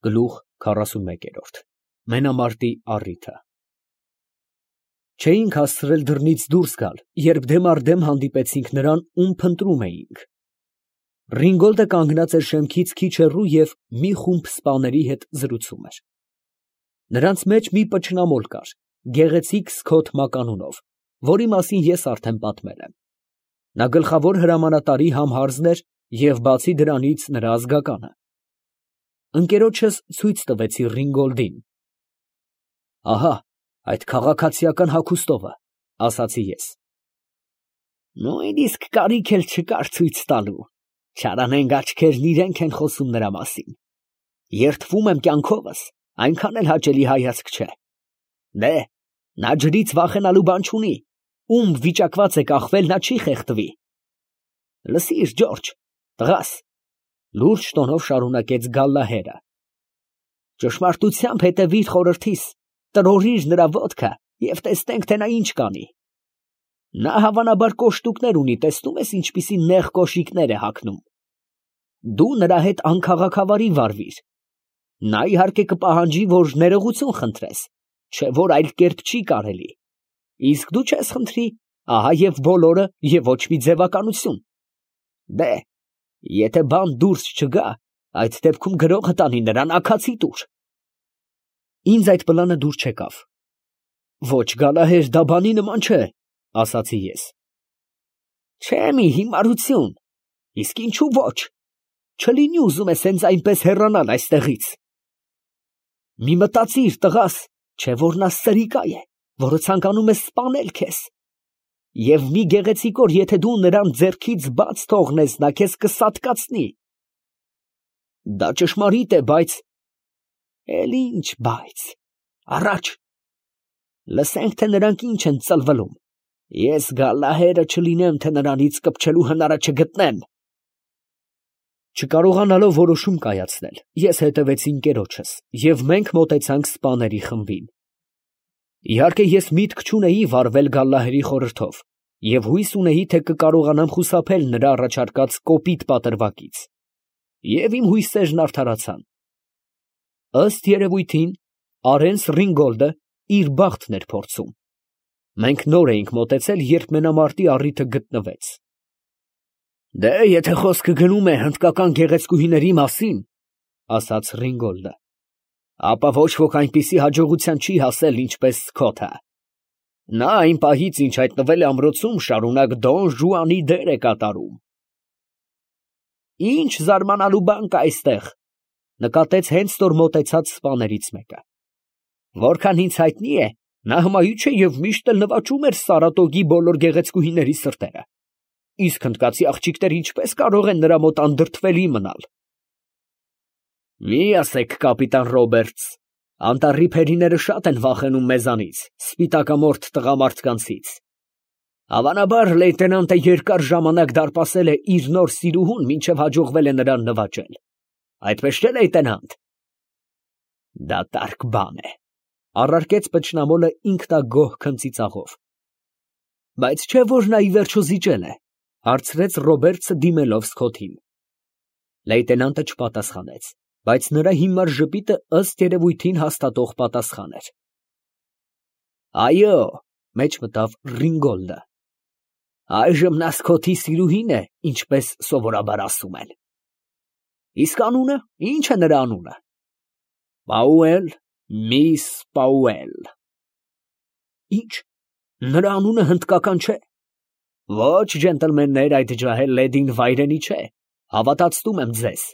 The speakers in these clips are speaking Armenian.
Գլուխ 41 Մենամարտի առիթը Չէինք հասցրել դռնից դուրս գալ, երբ դեմ առ դեմ հանդիպեցինք նրան, ում փնտրում էինք։ Ռինգոլդը կանգնած էր շեմքից քիչ հեռու և մի խումբ սպաների հետ զրուցում էր։ Նրանց մեջ մի պչնամոլ կար, գեղեցիկ Սքոթ մականունով, որի մասին ես արդեն պատմել եմ։ Նա գլխավոր հրամանատարի համհարզն էր և բացի դրանից նրա ազգականը։ Ընկերոջս ցույց տվեցի Ռինգոլդին։ Ահա, այդ քաղաքացիական հագուստովը, ասացի ես։ Նույնիսկ կարիք էլ չկար ցույց տալու, չարանենգ աչքերն իրենք են խոսում նրա մասին։ Երդվում եմ կյանքովս, այնքան էլ հաճելի հայացք չէ։ Դե, նա ջրից վախենալու բան չունի, ում վիճակված է կախվել, նա չի խեղդվի։ Լսիր, Ջորջ, տղաս, լուրջ տոնով շարունակեց Գալլահերը։ Ճշմարտությամբ հետևիր խորհրդիս, տրորիր նրա ոտքը և տեսնենք, թե նա ինչ կանի։ Նա հավանաբար կոշտուկներ ունի, տեսնում ես ինչպիսի նեղ կոշիկներ է հագնում։ Դու նրա հետ անքաղաքավարի վարվիր։ Նա իհարկե կպահանջի, որ ներողություն խնդրես, չէ որ այլ կերպ չի կարելի։ Իսկ դու չես խնդրի, ահա և բոլորը և ոչ մի ձևականություն։ Դե, եթե բան դուրս չգա, այդ դեպքում գրողը տանի նրան աքացի տուր։ Ինձ այդ պլանը դուր չեկավ։ Ոչ, Գալահեր, դա բանի նման չէ, ասացի ես։ Չէ մի հիմարություն, իսկ ինչու ոչ, չլինի ուզում ես հենց այնպես հեռանալ այստեղից։ Մի մտածիր, տղաս, չէ որ նա սրիկա է, որը ցանկանում է սպանել քեզ։ Եվ մի գեղեցիկ օր, եթե դու նրան ձեռքից բաց թողնես, նա քեզ կսատկացնի։ Դա ճշմարիտ է, բայց… Էլ ինչ բայց… Առաջ… Լսենք, թե նրանք ինչ են ծլվլում։ Ես Գալլահերը չլինեմ, թե նրանից կպչելու հնարը չգտնեմ։ Չկարողանալով որոշում կայացնել, ես հետևեցի ընկերոջս, և մենք մոտեցանք սպաների խմբին։ Իհարկե ես միտք չունեի վարվել Գալլահերի խորհրդով, և հույս ունեի, թե կկարողանամ խուսափել նրա առաջարկած կոպիտ պատրվակից։ Եվ իմ հույսերն արդարացան։ Ըստ երևույթին, Արենս Ռինգոլդը իր բախտն էր փորձում։ Մենք նոր էինք մոտեցել, երբ մենամարտի առիթը գտնվեց։ Դե, եթե խոսքը գնում է հնդկական գեղեցկուհիների մասին, ասաց Ռինգոլդը, ապա ոչ ոք այնպիսի հաջողության չի հասել, ինչպես Սքոթը։ Նա այն պահից, ինչ հայտնվել է ամրոցում, շարունակ Դոն Ժուանի դեր է կատարում։ Ինչ զարմանալու բան կա այստեղ, նկատեց հենց նոր մոտեցած սպաներից մեկը։ Որքան ինձ հայտնի է, նա հմայիչ է և միշտ էլ նվաճում էր Սարատոգի բոլոր գեղեցկուհիների սրտերը։ Իսկ հնդկացի աղջիկները ինչպես կարող են նրա մոտ անդրդվելի մնալ։ Մի ասեք, կապիտան Ռոբերտս, անտառի փերիները շատ են վախենում մեզանից, սպիտակամորթ տղամարդկանցից։ Հավանաբար լեյտենանտը երկար ժամանակ դարպասել է իր նոր սիրուհուն, մինչև հաջողվել է նրան նվաճել։ Այդպես չէ, լեյտենանտ։ Դատարկ բան է, առարկեց պչնամոլը ինքնագոհ քնծիծաղով։ Բայց չէ որ նա ի վերջո զիջել է, հարցրեց Ռոբերտսը դիմելով Սքոթին։ Լեյտենանտը չպատասխանեց, բայց նրա հիմար ժպիտը ըստ երևույթին հաստատող պատասխան էր։ Այո, մեջ մտավ Ռինգոլդը։ Այժմ նա Սքոթի սիրուհին է, ինչպես սովորաբար ասում են։ Իսկ անունը, ի՞նչ է նրա անունը։ Պաուել, միս Պաուել։ Ինչ, նրա անունը հնդկական չէ։ Ոչ, ջենտլմեններ, այդ ջահել լեդին վայրենի չէ, հավատացնում եմ ձեզ։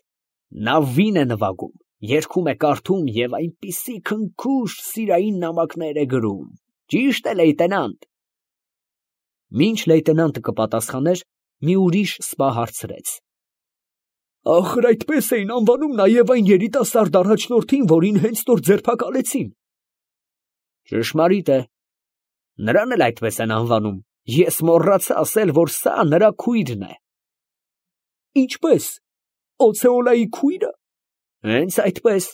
Նա վին է նվագում, երգում է, կարդում և այնպիսի քնքուշ սիրային նամակներ է գրում։ Ճիշտ է, լեյտենանտ։ Մինչ լեյտենանտը կպատասխաներ, մի ուրիշ սպա հարցրեց. Ախր այդպես էին անվանում նաև այն երիտասարդ առաջնորդին, որին հենց նոր ձերբակալեցին։ Ճշմարիտ է, նրան էլ այդպես են անվանում, ես մոռացա ասել, որ սա նրա քույրն է։ Ինչպես, Օցեոլայի քույրը։ Հենց այդպես,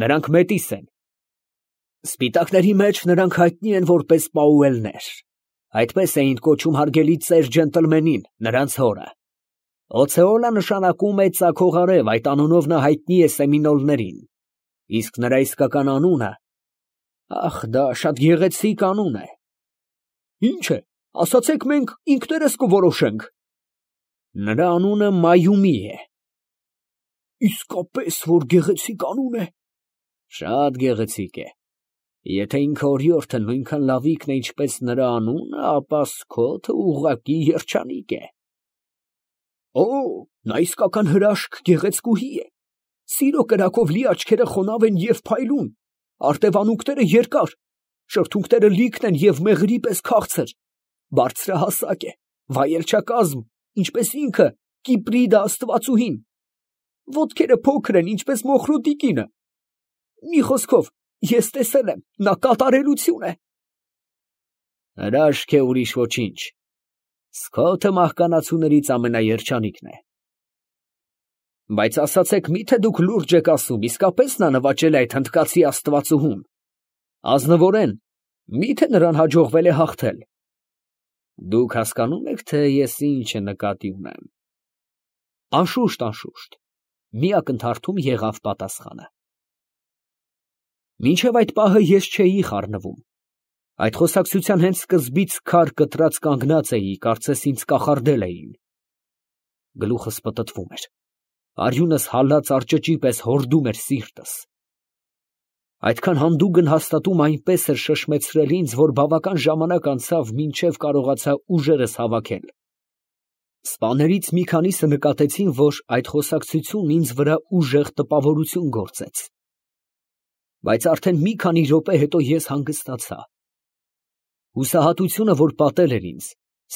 նրանք մետիս են։ Սպիտակների մեջ նրանք հայտնի են որպես Պաուելներ։ Այդպես էին կոչում հարգելի ծեր ջենտլմենին, նրանց հորը։ Օցեոլա նշանակում է ծագող արև, այդ անունով նա հայտնի է սեմինոլներին։ Իսկ նրա իսկական անունը, ախ, դա շատ գեղեցիկ անուն է։ Ինչ է, ասացեք, մենք ինքներս կորոշենք։ Նրա անունը Մայումի է։ Իսկապես որ գեղեցիկ անուն է։ Շատ գեղեցիկ է։ Եթե ինքը օրիորդը նույնքան լավիկն է, ինչպես նրա անունը, ապա Սքոթը ուղղակի երջանիկ է։ Օ, նա իսկական հրաշք գեղեցկուհի է։ Սիրո կրակով լի աչքերը խոնավ են և փայլուն, արտևանունքները երկար, շրթունքները լիքն են և մեղրի պես քաղցր, բարձրահասակ է, վայելչակազմ, ինչպես ինքը Կիպրիդա աստվածուհին, ոտքերը փոքր են, ինչպես մոխրու տիկինը։ Մի խոսքով, ես տեսել եմ, նա կատարելություն է։ Հրաշք է, ուրիշ ոչինչ։ Սքոթը մահկանացուներից ամենաերջանիկն է։ Բայց ասացեք, միթե դուք լուրջ եք ասում, իսկապես նա նվաճել է այդ հնդկացի աստվածուհուն։ Ազնվորեն, միթե նրան հաջողվել է հաղթել։ Դուք հասկանում եք, թե ես ինչ նկատի ունեմ։ Անշուշտ, անշուշտ, մի ակնթարթում եղավ պատասխանը։ Մինչև այդ պահը ես չէի խառնվում։ Այդ խոսակցության հենց սկզբից քար կտրած կանգնած էի, կարծես ինձ կախարդել էին։ Գլուխս պտտվում էր, արյունս հալած արճճի պես հորդում էր սիրտս։ Այդքան հանդուգն հաստատում այնպես էր շշմեցրել ինձ, որ բավական ժամանակ անցավ, մինչև կարողացա ուժերս հավաքել։ Սպաներից մի քանիսը նկատեցին, որ այդ խոսակցությունն ինձ վրա ուժեղ տպավորություն գործեց։ Բայց արդեն մի քանի րոպե հետո ես հանգստացա։ Հուսահատությունը, որ պատել էր ինձ,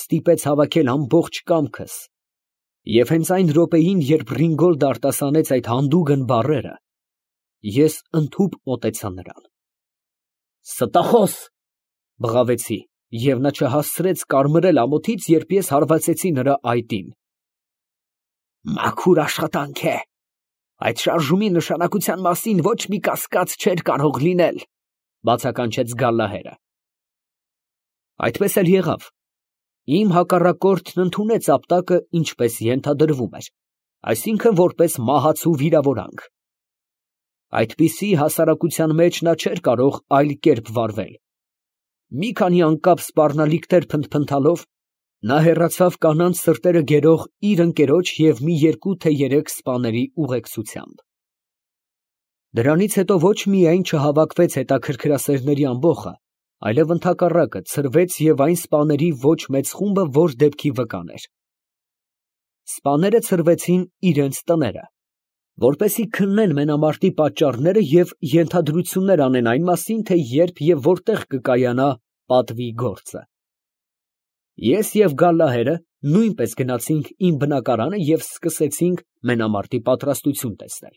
ստիպեց հավաքել ամբողջ կամքս, և հենց այն րոպեին, երբ Ռինգոլդը արտասանեց այդ հանդուգն բառերը, ես ընդհուպ մոտեցա նրան։ Ստախոս, բղավեցի, և նա չհասցրեց կարմրել ամոթից, երբ ես հարվածեցի նրա այտին։ Մաքուր աշխատանք է։ Այդ շարժումի նշանակության մասին ոչ մի կասկած չէր կարող լինել, բացականչեց Գալլահերը։ Այդպես էլ եղավ։ Իմ հակառակորդն ընդունեց ապտակը, ինչպես ենթադրվում էր, այսինքն որպես մահացու վիրավորանք։ Այդպիսի հասարակության մեջ նա չէր կարող այլ կերպ վարվել։ Մի քանի անկապ սպառնալիքներ փնթփնթալով, նա հեռացավ կանանց սրտերը գերող իր ընկերոջ և մի երկու թե երեք սպաների ուղեկցությամբ։ Դրանից հետո ոչ միայն չհավաքվեց հետաքրքրասերների ամբոխը, այլև ընդհակառակը ցրվեց և այն սպաների ոչ մեծ խումբը, որ դեպքի վկան էր։ Սպաները ցրվեցին իրենց տները, որպեսզի քննեն մենամարտի պատճառները և ենթադրություններ անեն այն մասին, թե երբ և որտեղ կկայանա պատվի գործը։ Ես և Գալլահերը նույնպես գնացինք իմ բնակարանը և սկսեցինք մենամարտի պատրաստություն տեսնել։